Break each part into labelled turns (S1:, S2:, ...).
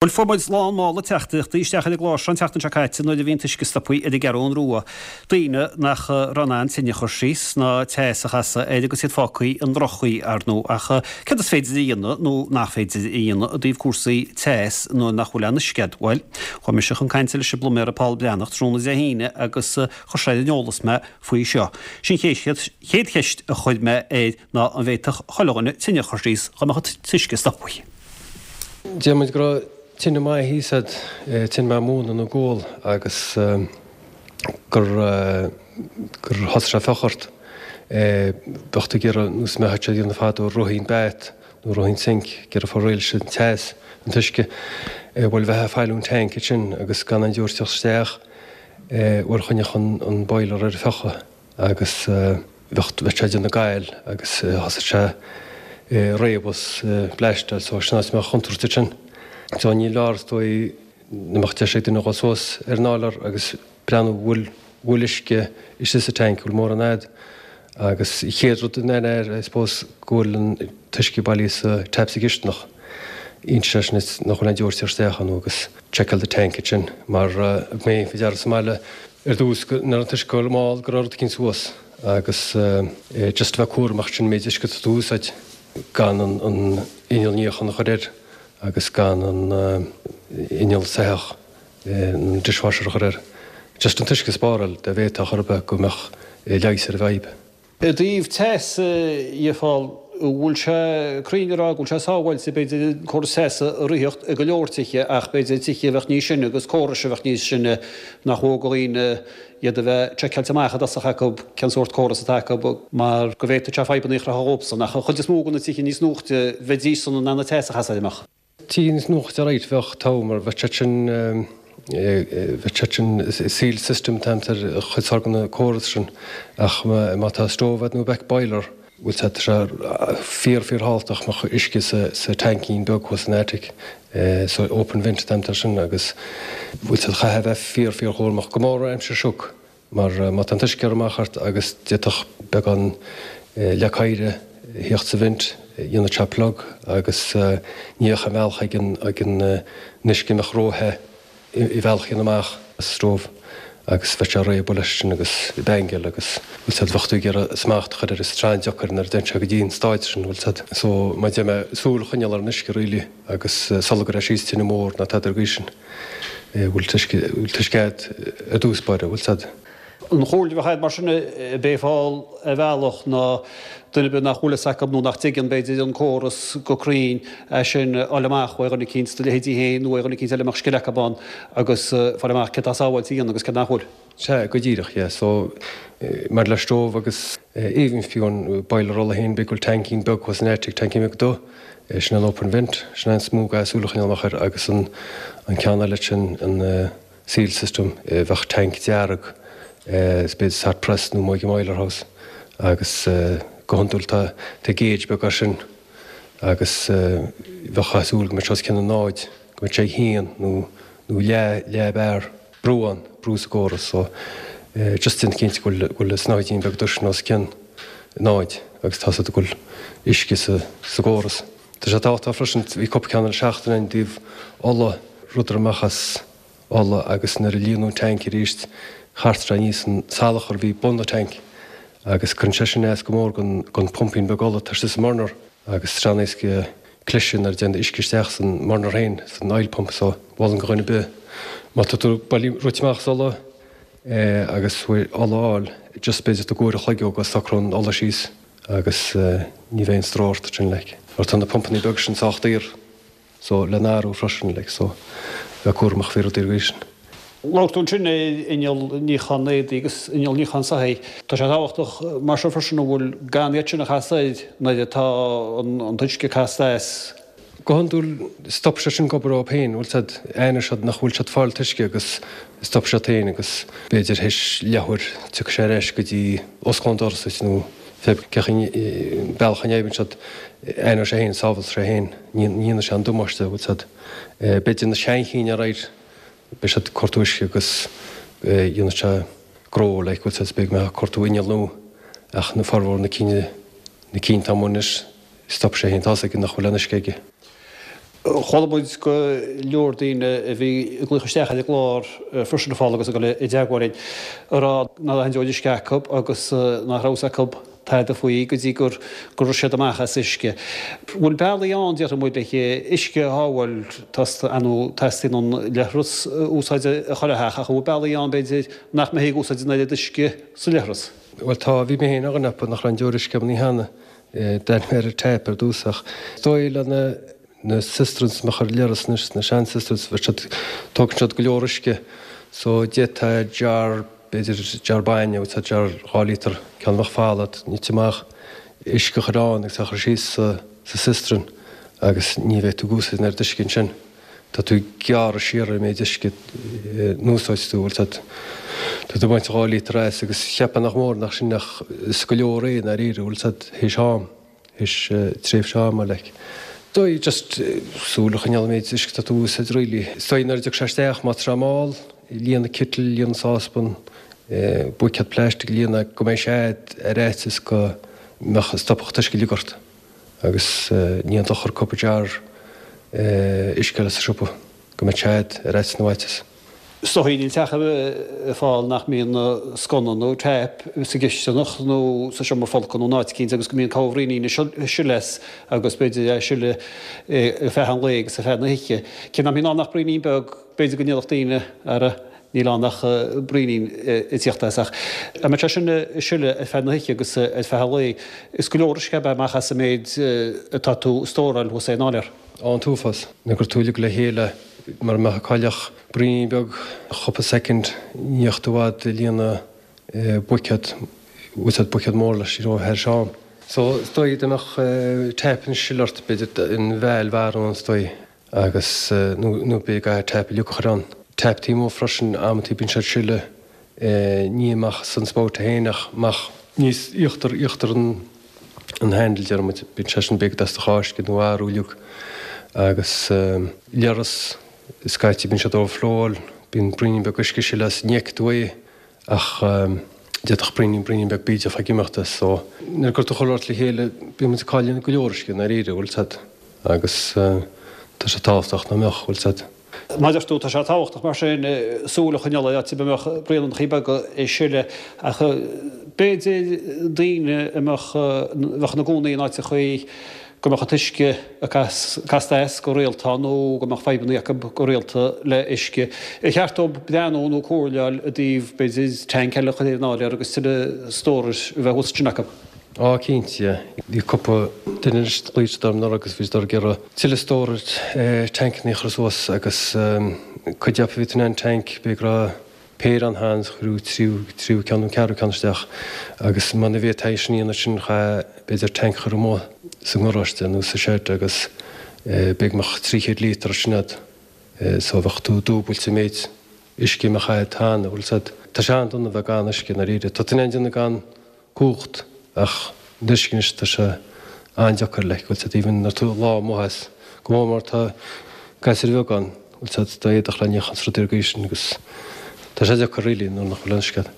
S1: Bhuel, fuair muid lán mála teachtaireachtaí isteach ar an gclár seo an tseachtain seo caite nuair a bhí an t-uisce stoptha ar an gCeathrún Rua. Daoine nach raibh in ann tine a chur síos ná teas a chasadh air agus iad fágtha i ndroch-chaoi, ar ndóigh. Ach céard is féidir a dhéanamh nó nach féidir a dhéanamh i dtaobh cúrsaí teas nuair nach bhfuil aon uisce agat? Bhuel, chuaigh mise chun cainte leis an bpluiméara Paul Breathnach tráthnóna Dé hAoine agus chuir sé ar an eolas mé faoi seo. Sin an chéad cheist a chuir mé air ná an bhféadfadh chuile dhuine tine a chur síos dá mbeadh an t-uisce stoptha.
S2: Deir muid go raibh tine maith thíos a'd, tine maith móna nó gual agus gur gur thosaigh sé fiuchadh ort. Bheadh tú ag iarraidh nós a mbeadh siad a dhéanamh fadó running bath nó running sink, ag iarraidh fáil réidh leis an teas, an t-uisce. Bhuel bheifeá ag fáil ón tank ansin agus gan aon deoir teacht isteach, bhuel choinneodh an boiler ar fiuchadh. agus bheadh bheadh sé ag déanamh gail agus thosaigh sé réabadh 's bleaisteáil so sin áit a mbeadh chontúirt ansin. So ní leor is dóigh nach mbeadh deis ag duine dhul suas ar an áiléar agus breathnú bhfuil bhfuil uisce istigh sa tank, bhfuil mórán a'd agus an chéad rud in air I suppose go bhfuil an t-uisce bailithe sa tap sa gcisteanach. Inse sé sin nach bhfuil aon deoir ag teacht isteach ann agus checkáil do tank ansin mar thug mé faoi deara sa mbaile ar dtús go raibh an t-uisce ag dul mall go raibh rud eicínt suas agus just a bheith cúramach sin méid uisce atá tú a úsáid gan an an inneall níocháin a chur air agus gan an inneall soitheach an dishwasher a chur air. Just an t-uisce a spáráil dá bhféadfá chor ar bith go mbeadh leigheas ar an bhfadhb.
S1: I dtaobh teas dhe a Phóil, an bhfuil sé cruinn a rá go bhfuil sé sábháilte, b'fhéidir, an córas teasa a ritheacht i go leor tithe ach b'fhéidir tithe a bheadh níos sine agus córais a bheadh níos sine nach mó do dhaoine iad a bheith seiceáilte amach i dtosach acu cén sórt córas atá acu mar go bhféadfadh sé fadhbanna a chruthú dhóibhsan. Ach an chuid is mó de na tithe níos nuachta bheidís-san in ann an teas a chasadh air, an mbeadh?
S2: Tithe níos nuachta right bheadh togha mar bheadh siad sin bheadh siad sin sealed system atá ar chuid mhór de na córas sin ach má tá stove a'd nó beck boiler bhfuil sé tá sé fíor fíor thábhachtach go mbeadh uisce sa sa taincín beag thuas san attic so open vent atá air sin agus bhfuil sé chaithfeá bheith fíor fíor chúramach go mór aimsir sioc Mar má tá an t-uisce ag cur amach ort agus d'fhéadfadh beagán leac oighre a thíocht sa vent, dhéanfadh sé plug agus ní bheadh aon bhealach ag an ag an uisce a mbeadh ró-the i bhealach a dhéanamh amach as an stove agus bheadh sé ag réabadh leis sin agus ag bangáil agus bhfuil 's a'd bheadh tú ag iarraidh smacht a chur air is an-deacair nuair a dtéann sé go dtí an stáid sin bhfuil 's a'd. So mar a deir mé súil a choinneáil ar an uisce really agus sula gcuirfeá síos tine mór ná tada ar an gcaoi sin. bhfuil t-uisce a'd i dtús báire, bhfuil 's a'd.
S1: An chomhairle a bheadh a'd mar sin ab é a Phóil ar bhealach ná duine ar bith nach bhfuil fhios acu nó nach dtuigeann b'fhéidir an córas go cruinn é sin a fháil amach ó dhuine eicínt de leithéidí féin nó ó dhuine eicínt eile a mbeadh scil acu ann agus fáil amach céard atá sábháilte a dhéanamh agus céard nach bhfuil.
S2: Sea, go díreach, yeah. So, mar le stove agus even fiú an boiler ola féin, b'fhéidir go bhfuil taincín beag thuas san attic, taincín beag dubh, sin an open vent, sin an is mó gá súil a choinneáil amach air agus an an ceann eile sin, an sealed system, bheadh tank dearg, is b'fhéidir sa hot press nó amuigh i mboiler house agus go hiondúil tá tá gauge beag air sin agus bheadh súil go mbeadh sé os cionn an náid, go mbeadh sé ag haon nó nó leath leath bar. brú ann, brú sa gcóras so just déan cinnte go bhfuil, go bhfuil an snáithín beag dubh sin os cionn náid agus tá 's agat go bhfuil uisce sa, sa gcóras. Tá sé tábhachtach freisin, bhí cúpla ceann le seachtain i dtaobh ola, rud a rith amach as ola agus nuair a líonadh an tank arís chart sé aníos an salachar a bhí bun an tank agus cuireann sé sin as go mór gon, gon pumpín beag ola atá istigh sa mburner agus tá sé an-éasca cliseadh nuair a dtéann uisce isteach san mburner féin, san oil pump so mholfainn do dhuine ar bith má tá tú bailithe rite amach as ola agus uaidh ola a fháil just b'fhéidir tóg uair a chloig ó go socróidh an ola síos agus ní bheidh aon stró ort ansin like. Mar tá na pumpannaí beaga sin sách daor so le n-athrú freisin like so bheith cúramach faoi rudaí ar an gcaoi sin.
S1: Labhair tú ansin ar inneall níocháin éadaí agus inneall níocháin soithí. Tá sé tábhachtach mar seo freisin an bhfuil gan iad sin a chasadh air nuair atá an t-uisce casta as.
S2: Go hiondúil stop sé sin ag obair dóibh féin, bhfuil 's a'd, aithneoidh siad nach bhfuil siad ag fáil t-uisce agus stop siad féin agus b'fhéidir théis leathuair tiocfaidh sé ar ais go dtí osclóidh an doras duit nó fé cén chaoi bealach a n-oibríonn siad, aithneoidh sé féin, sábhálfaidh sé féin, ní dhéanfaidh sé an damáiste, bhfuil 's a'd. B'fhéidir na seanchinn alright. Beidh siad ag cortú uisce agus dhéanfaidh sé gnó like bhfuil 's a'd beidh mé ag cortú inneall nua ach na formhór na cinn na cinn atá amuigh anois stop sé féin tá's aige nach bhfuil aon uisce aige.
S1: Chuala muid go leor daoine a bhí ag glaoch isteach ar an gclár freisin a Phóil agus ag dul i dteagmháil linn ag rá nach raibh aon deoir uisce acu agus nach raibh fhios acu tada faoi go dtí gur go raibh siad amach as uisce. Bhfuil bealaí ann, déarfaidh muid, le huisce a shábháil, ar ndóigh teastaíonn an leithreas a úsáid i chuile theach ach an bhfuil bealaí ann b'fhéidir nach mbeifí ag úsáid an oiread uisce sa leithreas?
S2: Bhuel tá, bhí mé féin ar dhuine acu nach raibh aon deoir uisce agam an oíche cheana. D'fhan mé ar an tap ar dtús ach is dóigh le na na cisterns a mbeadh ar an leithreas anois, na sean cisterns, bheadh siad, tógann siad go leor uisce so d'fhéadfá jar, b'fhéidir jar bainne, nó jar 2 líotar, ceann a bheadh folamh, nite amach, uisce a chur ann agus é a chur síos sa sa cistern agus ní bheidh tú ag úsáid an oiread uisce ansin. Tá tú ag gearradh siar ar an méid uisce a n-úsáid tú, bhfuil 'fhios a'd. Tá tú ag baint 2 líotar as agus cheapfá nach mór nach sin ach is go leor é i ndáiríre, bhfuil 'fhios a'd, théis am, théis tréimhse ama like. Dóigh just súil a choinneáil an méid uisce atá tú a úsáid really. Is dóigh nuair a dtiocfaidh sé isteach, má tá sé mall, líon an kettle, líon an sáspan, buicéad plastic, líon é go mbeidh sé a'd ar fhaitíos go mbeadh, stopfadh an t-uisce uilig ort. Agus ní haon dochar cúpla jar uisce a fháil sa siopa go mbeadh sé a'd ar fhaitíos na bhfaitíos.
S1: Is dóigh níl teach ar bith a Phóil nach mbíonn sconna nó tap sa gcisteanach nó sa seomra folctha nó in áit eicínt agus go mbíonn corr-bhraoinín ag sileadh as agus b'fhéidir é ag sileadh ar feadh an lae agus ar feadh na hoíche. Cé nach mbíonn ann ach braoinín beag, b'fhéidir go ndéarfadh daoine, ara, Níl ann ach braoinín ag tíocht as ach dá mbeadh sé sin ag sileadh ar feadh na hoíche agus ar feadh an lae, is go leor uisce ab ea amach as an méid atá tú ag stóráil thuas ar an áiléar.
S2: Á, an t-uafás. Nuair a chuir tú uilig le chéile mura mbeadh ag cailleadh ach braoinín beag chúpla soicind, ní bheadh tú i bhfad ag líonadh buicéad, úsáid buicéad mór leis, you know, thar am. So, is dóigh dá mbeadh tap ag sileadh ort, b'fhéidir an bheal mharbh ann is dóigh. agus nó b'fhéidir go gcaithfidh tap uilig a chur ann. Tap taobh amuigh freisin, amantaí bíonn siad ag sileadh ní amach as an spout féin ach amach níos íochtar, íochtar an an handle deir muid, bíonn sé sin b'fhéidir ag dul as do cháisce nó athrú uilig agus leithreas scaití bíonn siad overflowáil, bíonn braoinín beag uisce ag sileadh as, ní fheicfidh tú é. Ach d'fhéadfadh braoinín, braoinín beag bídeach ag imeacht as so. Nuair a chuir tú chuile shórt le chéile, bíonn muid ag cailleadh go leor uisce i ndáiríre, bhfuil 'fhios a'd. Agus tá sé tábhachtach nach mbeadh, bhfuil 'fhios a'd.
S1: Mar a deir tú, tá sé tábhachtach mar sin súil a choinneáil ar áit ar bith a mbeadh braonanchaí beaga ag sileadh. Ach b'fhéidir daoine a mbeadh, bheadh ina gcónaí in áiteachaí go mbeadh an t-uisce ag casadh as go rialta nó go mbeadh fadhbanna acu go rialta le uisce. Ar cheart dóibh breathnú nó comhairle a fháil i dtaobh, b'fhéidir, tank eile a chur ar an áiléar agus tuilleadh stórais a bheith thuas ansin acu?
S2: Á, cinnte, yeah. Bhí cúpla duine anois a ghlaoigh siad orm anuraidh agus bhí siad ag iarraidh tuilleadh storage tankannaí a chur suas agus cuid acu bhí in ann tank, b'fhéidir go raibh péire ann cheana is cuireadh tríú, tríú ceann nó ceathrú ceann isteach agus muna bhféadfaí é sin a dhéanamh sin chaithfeá b'fhéidir tank a chur amuigh sa ngaráiste nó sa shed agus b'fhéidir go mbeadh 300 líotar ansin a'd so bheadh tú dúbailt an méid uisce a mbeadh a'd cheana, bhfuil 'fhios a'd. Tá sé an-dona bheith gan uisce i ndáiríre. Tá tú in ann déanamh gan cumhacht ach an uisce anois tá sé an-deacair like bhfuil 'fhios a'd even nuair tú lá amuigh as go mór mór tá gasúir bheaga ann bhfuil 'fhios a'd do éadach le níochán is rudaí ar an gcaoi sin agus tá sé deacair really nuair nach bhfuil an uisce a'd.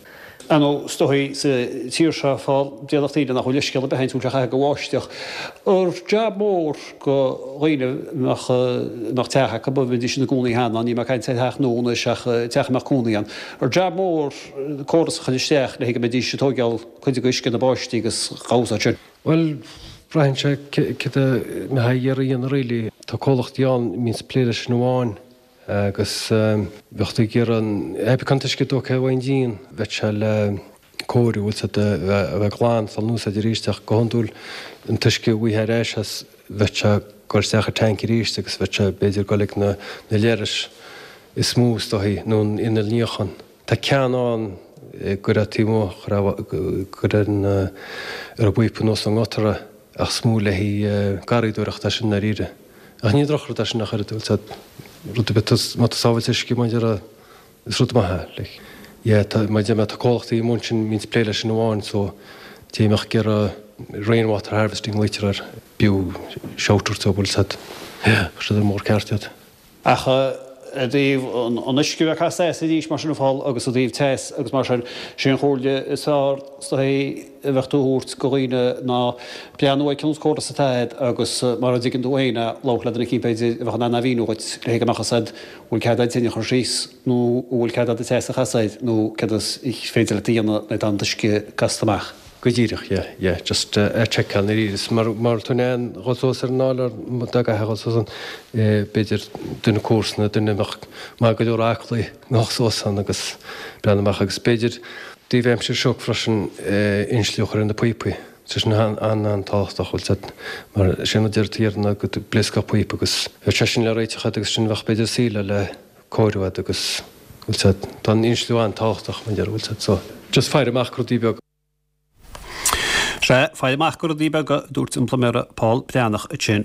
S1: Ar ndóigh is dóigh sa tír seo fá déarfadh daoine nach bhfuil uisce ar bith ann tá sé chaithfidh go bháisteach. Ar jab mór go dhaoine a mbeadh a mbeadh teach acu a bheidís ina gcónaí cheana, níl mé ag caint ar theach nua anois ach teach a mbeadh cónaí ann. Ar jab mór córas a chur isteach le go mbeidís ag tóigeáil cuid de uisce na báistí agus dhá úsáid sin.
S2: Bhuel, braitheann sé céard a mbeifeá ag iarraidh a dhéanamh really. Tá comhlachtaí ann a mbíonns ag plé leis sin amháin agus bheadh tú ag iarraidh an, pé an t-uisce tógtha ón díon, bheadh sé le cóiriú, bhfuil 's a'd, a bheith glan, dul in úsáid arís ach go hiondúil an t-uisce a bhfaighfeá ar ais as, bheadh sé ag dul isteach i tank arís agus bheadh sé b'fhéidir ag dul ag na leithris is mó is dóichí nó an inneall níocháin. Tá ceann ann go raibh taobh amuigh, go raibh an ar an bpíopa anuas ón ngutter ach is mó le haghaidh garraíodóireachta é sin i ndáiríre. Ach ní drochrud é sin ach oiread, bhfuil 's a'd, rud ar bith, má tá sábháilt uisce mar a déarfá, is rud maith é, like. Yeah, tá, mar a deir mé, tá comhlachtaí amuigh ansin a mbíonns ag plé leis sin amháin so té a mbeadh ag iarraidh rainwater harvesting a ghlaoitear air, b'fhiú shout a thabhairt dóibh, bhfuil 's a'd, yeah, chuir siad ar an mbóthar ceart iad.
S1: Ach. I dtaobh an uisce a bheith casta as arís mar sin a Phóil agus i dtaobh teas agus mar sin, sé an chomhairle is fearr is dóigh a bheadh tú a thabhairt go dhaoine ná breathnú ar cén córas atá agat agus mara dtuigeann tú féin é, labhairt le duine eicínt b'fhéidir a bheadh in ann a mhíniú dhuit le go mbeadh fhios agat an bhfuil cead agat tine a chur síos nó an bhfuil cead agat teas a chasadh air nó céard is féidir leat a dhéanamh nuair atá an t-uisce casta amach.
S2: Go díreach, yeah, yeah, just a sheiceáil nuair is mar mar tú in ann dhul suas ar an áiléar dá gcaithfeá dhul suas ann, b'fhéidir duine comharsana, duine a mbeadh maith go leor aclaí a dhul suas ann agus breathnú amach agus b'fhéidir taobh aimsir seo freisin insliú a chur ar na píopaí, tá sin an-an-tábhachtach, bhfuil 'fhios a'd, mar sin a deir tú ná go bpléascfadh píopa agus bheadh sé sin le réiteach a'd agus sin bheadh b'fhéidir saol le cóiriú a'd agus bhfuil 'fhios a'd, tá an insliú an-tábhachtach mar deir, bhfuil 'fhios a'd, so just faire amach go rudaí beaga.
S1: Sea, faire amach go rudaí beaga, a dúirt an pluiméara Pól Breathnach ansin.